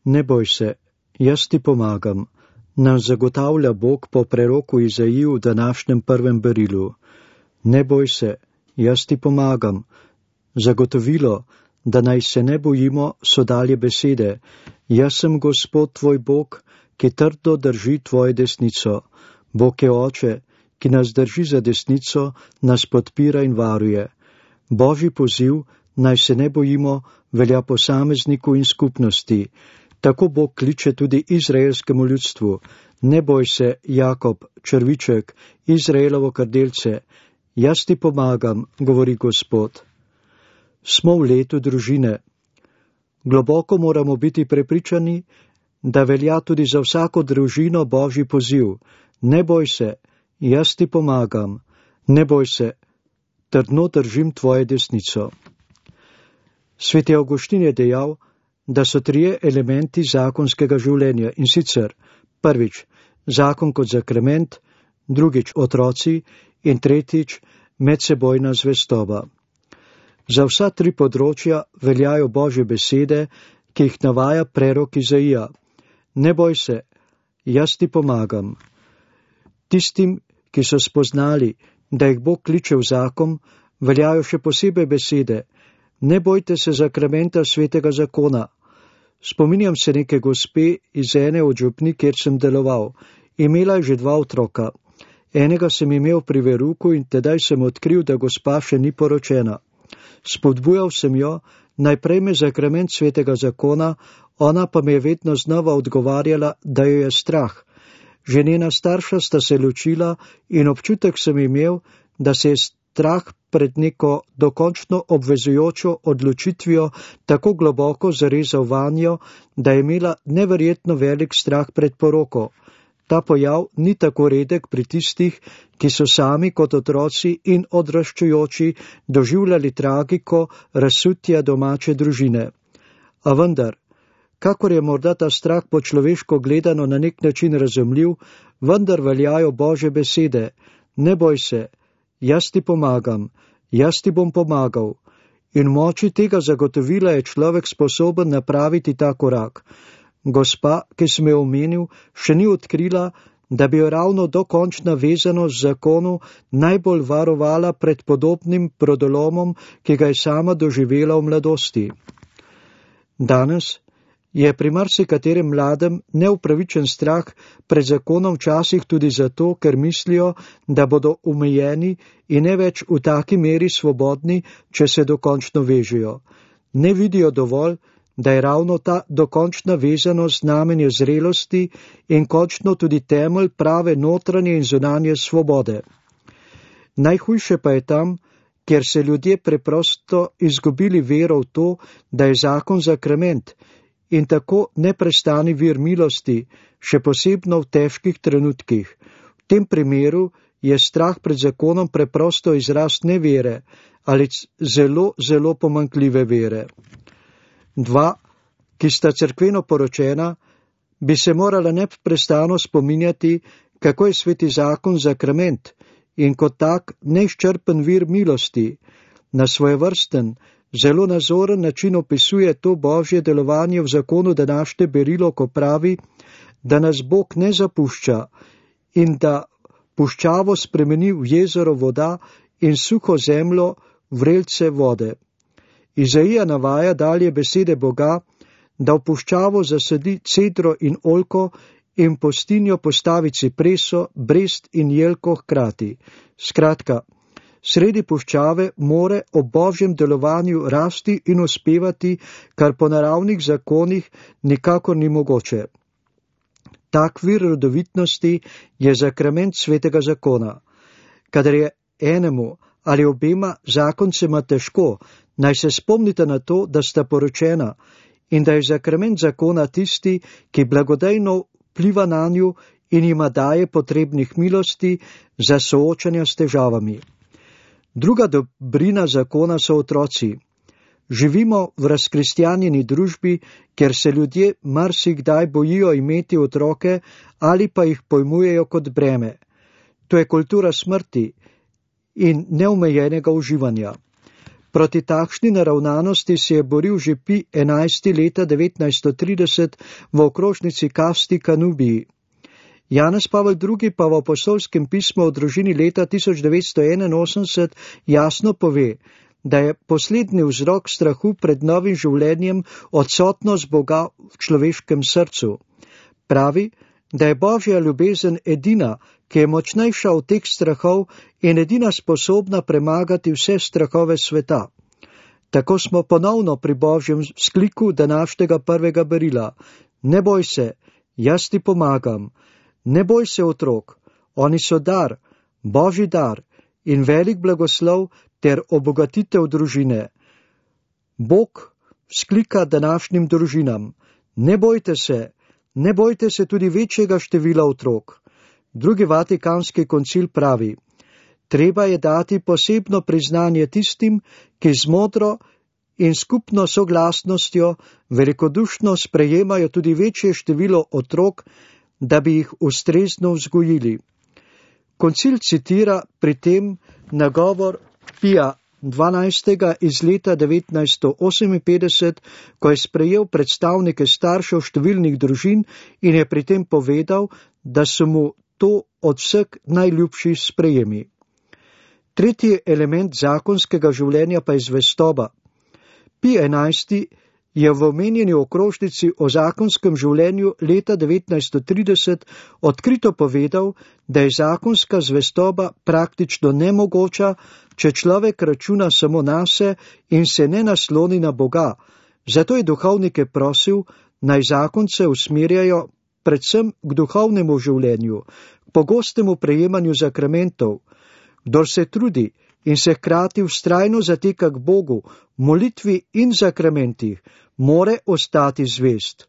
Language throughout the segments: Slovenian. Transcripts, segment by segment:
Ne boj se, jaz ti pomagam, nam zagotavlja Bog po preroku Izaiji v današnjem prvem berilu. Ne boj se, jaz ti pomagam. Zagotovilo, da naj se ne bojimo, so dalje besede. Jaz sem Gospod tvoj Bog, ki trdo drži tvojo desnico. Bog je Oče, ki nas drži za desnico, nas podpira in varuje. Božji poziv, naj se ne bojimo, velja posamezniku in skupnosti. Tako Bog kliče tudi izraelskemu ljudstvu. Ne boj se, Jakob, črviček, Izraelovo krdelce. Jaz ti pomagam, govori Gospod. Smo v letu družine. Globoko moramo biti prepričani, da velja tudi za vsako družino Božji poziv. Ne boj se, jaz ti pomagam. Ne boj se, trdno držim tvojo desnico. Sveti Avguštin je dejal, da so 3 elementi zakonskega življenja, in sicer prvič zakon kot zakrament, drugič otroci in tretjič medsebojna zvestoba. Za vsa 3 področja veljajo Božje besede, ki jih navaja prerok Izaija. Ne boj se, jaz ti pomagam. Tistim, ki so spoznali, da jih Bog kliče v zakon, veljajo še posebej besede. Ne bojte se zakramenta svetega zakona. Spominjam se neke gospe iz ene od župni, kjer sem deloval. Imela je že 2 otroka. Enega sem imel pri veruku in tedaj sem odkril, da gospa še ni poročena. Spodbujal sem jo, naj prejme zakrament svetega zakona, ona pa mi je vedno znova odgovarjala, da jo je strah. Že njena starša sta se ločila in občutek sem imel, da se je strah pred neko dokončno obvezujočo odločitvijo tako globoko zarezal vanjo, da je imela neverjetno velik strah pred poroko. Ta pojav ni tako redek pri tistih, ki so sami kot otroci in odraščajoči doživljali tragiko razsutja domače družine. A vendar, kakor je morda ta strah po človeško gledano na nek način razumljiv, vendar veljajo Božje besede. Ne boj se, jaz ti pomagam, jaz ti bom pomagal. In v moči tega zagotovila je človek sposoben napraviti ta korak. Gospa, ki sem jo omenil, še ni odkrila, da bi jo ravno dokončna vezanost z zakonu najbolj varovala pred podobnim brodolomom, ki ga je sama doživela v mladosti. Danes je pri marsikaterem mladem neupravičen strah pred zakonom včasih tudi zato, ker mislijo, da bodo omejeni in ne več v taki meri svobodni, če se dokončno vežejo. Ne vidijo dovolj, da je ravno ta dokončna vezanost znamenje zrelosti in končno tudi temelj prave notranje in zunanje svobode. Najhujše pa je tam, kjer se ljudje preprosto izgubili vero v to, da je zakon zakrament in tako neprestani vir milosti, še posebno v težkih trenutkih. V tem primeru je strah pred zakonom preprosto izraz nevere ali zelo, zelo pomanjkljive vere. 2, ki sta cerkveno poročena, bi se morala neprestano spominjati, kako je sveti zakon zakrament in kot tak neizčrpen vir milosti. Na svojevrsten, zelo nazoren način opisuje to Božje delovanje v zakonu današnje berilo, ko pravi, da nas Bog ne zapušča in da puščavo spremeni v jezero voda in suho zemljo vrelce vode. Izaija navaja dalje besede Boga, da v puščavo zasadi cedro in oljko in pustinjo postavi cipreso, brest in jelko hkrati. Skratka, sredi puščave more ob Božjem delovanju rasti in uspevati, kar po naravnih zakonih nikakor ni mogoče. Tak vir rodovitnosti je zakrament svetega zakona. Kadar je enemu ali obema zakoncema težko, naj se spomnite na to, da sta poročena in da je zakrament zakona tisti, ki blagodejno vpliva nanju in jima daje potrebnih milosti za soočanja s težavami. Druga dobrina zakona so otroci. Živimo v razkristjanjeni družbi, kjer se ljudje marsikdaj bojijo imeti otroke ali pa jih pojmujejo kot breme. To je kultura smrti in neomejenega uživanja. Proti takšni naravnanosti se je boril že Pij XI leta 1930 v okrožnici Kasti Kanubiji. Janez Pavel II. Pa v apostolskem pismu o družini leta 1981 jasno pove, da je poslednji vzrok strahu pred novim življenjem odsotnost Boga v človeškem srcu. Pravi, da je Božja ljubezen edina, ki je močnejša od teh strahov in edina sposobna premagati vse strahove sveta. Tako smo ponovno pri Božjem vzkliku današnjega prvega berila. Ne boj se, jaz ti pomagam. Ne boj se, otrok, oni so dar, Božji dar in velik blagoslov ter obogatitev družine. Bog vzklika današnjim družinam. Ne bojte se tudi večjega števila otrok. Drugi Vatikanski koncil pravi, treba je dati posebno priznanje tistim, ki z modro in skupno soglasnostjo velikodušno sprejemajo tudi večje število otrok, da bi jih ustrezno vzgojili. Koncil citira pri tem nagovor Pija XII. Iz leta 1958, ko je sprejel predstavnike staršev številnih družin in je pri tem povedal, da so mu to od vseh najljubši sprejemi. Tretji element zakonskega življenja pa je zvestoba. Pij XI. Je v omenjeni okrožnici o zakonskem življenju leta 1930 odkrito povedal, da je zakonska zvestoba praktično nemogoča, če človek računa samo nase in se ne nasloni na Boga. Zato je duhovnike prosil, naj zakonce usmerjajo predvsem k duhovnemu življenju, k pogostemu prejemanju sakramentov. Kdor se trudi in se hkrati vztrajno zateka k Bogu, molitvi in sakramentih, more ostati zvest.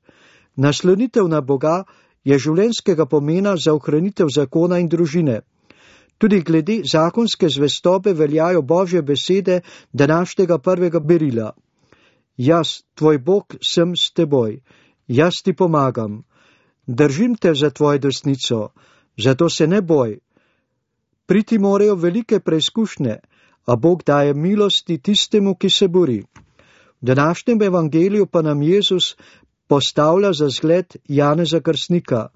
Naslonitev na Boga je življenjskega pomena za ohranitev zakona in družine. Tudi glede zakonske zvestobe veljajo Božje besede današnjega prvega berila. Jaz, tvoj Bog, sem s teboj, jaz ti pomagam. Držim te za tvojo desnico, zato se ne boj. Priti morajo velike preizkušnje, a Bog daje milosti tistemu, ki se bori. V današnjem evangeliju pa nam Jezus postavlja za zgled Janeza Krstnika.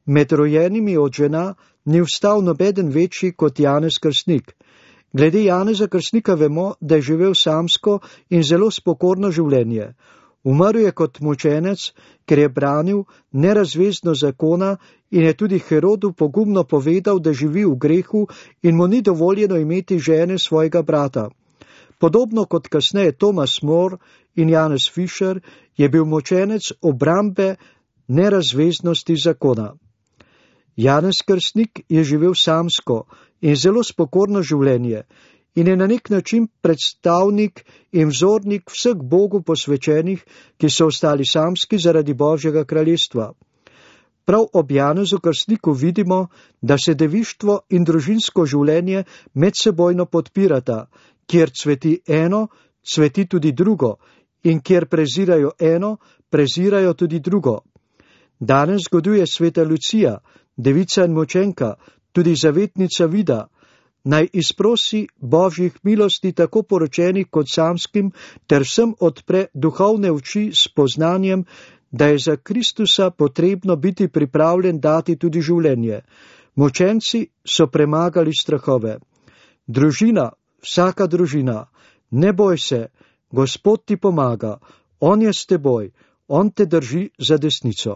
Med rojenimi od žena ni vstal nobeden večji kot Janez Krstnik. Glede Janeza Krstnika vemo, da je živel samsko in zelo spokorno življenje. Umrl je kot mučenec, ker je branil nerazvezno zakona in je tudi Herodu pogumno povedal, da živi v grehu in mu ni dovoljeno imeti žene svojega brata. Podobno kot kasneje Thomas More in Janez Fischer je bil mučenec obrambe nerazveznosti zakona. Janez Krstnik je živel samsko in zelo spokorno življenje in je na nek način predstavnik in vzornik vseh Bogu posvečenih, ki so ostali samski zaradi Božjega kraljestva. Prav ob Janezu Krstniku vidimo, da se devištvo in družinsko življenje medsebojno podpirata, kjer cveti eno, cveti tudi drugo, in kjer prezirajo eno, prezirajo tudi drugo. Danes zgoduje sveta Lucija, devica in mučenka, tudi zavetnica Vida. Naj izprosi Božjih milosti tako poročenih kot samskim, ter vsem odpre duhovne oči s poznanjem, da je za Kristusa potrebno biti pripravljen dati tudi življenje. Mučenci so premagali strahove. Družina, vsaka družina, ne boj se, Gospod ti pomaga, On je s teboj, On te drži za desnico.